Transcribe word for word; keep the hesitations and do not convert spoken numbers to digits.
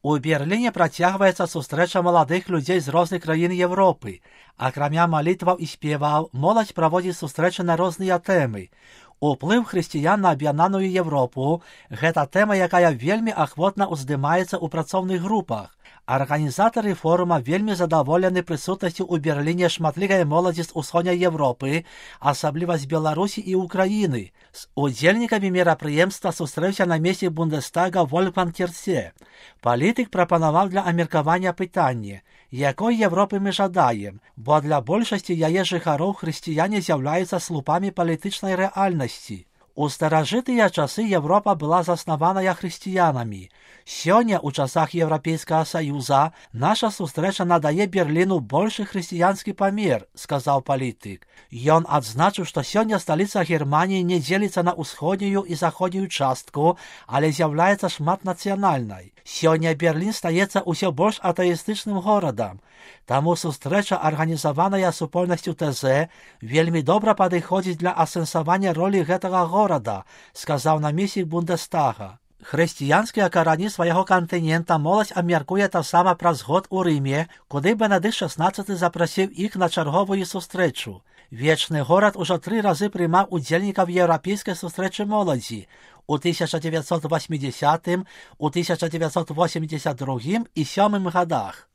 У Берліне працягваецца сустрэча маладых людзей з розных краін Европы. Акрамя малітваў і спеваў, моладзь праводзіць сустрэчы на розныя тэмы. Уплыў хрысціян на аб'яднаную Европу – гэта тэма, якая вельмі ахвотна ўздымаецца ў працоўных групах. Арганізатары форума вельмі задаволены прысутнасцю ў Берліне шматлікай моладзі з усходняй Европы, асабліва з Беларусі і Украіны. З удзельнікамі мерапрыемства сустрэўся намеснік Бундестага Вольфганг Кірце. Палітык прапанаваў для абмеркавання пытанне, якой Европы мы жадаем, бо для большасці яе жыхароў хрысціяне з'яўляюцца слупамі палітычнай рэальнасці. У старажытыя часы Европа была заснаваная хрысціянамі. Сёння, у часах Еўрапейскага Саюза, наша сустрэча надае Берліну большы хрысціянскі памер, сказаў палітык. Ён адзначыў, што сёння сталіца Германіі не дзеліцца на ўсходнюю і заходнюю частку, але з'яўляецца шматнацыянальнай. Сёння Берлін стаецца ўсё больш атэістычным горадам. Таму сустрэча, арганізаваная супольнасцю тэ зэ, вельмі добра падыходзіць для асэнсавання ролі гэтага горада, сказаў намеснік Бундестага. Хрысціянскія карані свайго кантынента моладзь абмяркуе таксама праз год у Рыме, куды Бенедыкт шаснаццаты запрасіў іх на чарговую сустрэчу. Вечны горад ужо тры разы прымаў удзельнікаў еўрапейскай сустрэчы моладзі у тысяча дзевяцьсот васьмідзесятым, у тысяча дзевяцьсот восемьдесят другім і сёмым годах.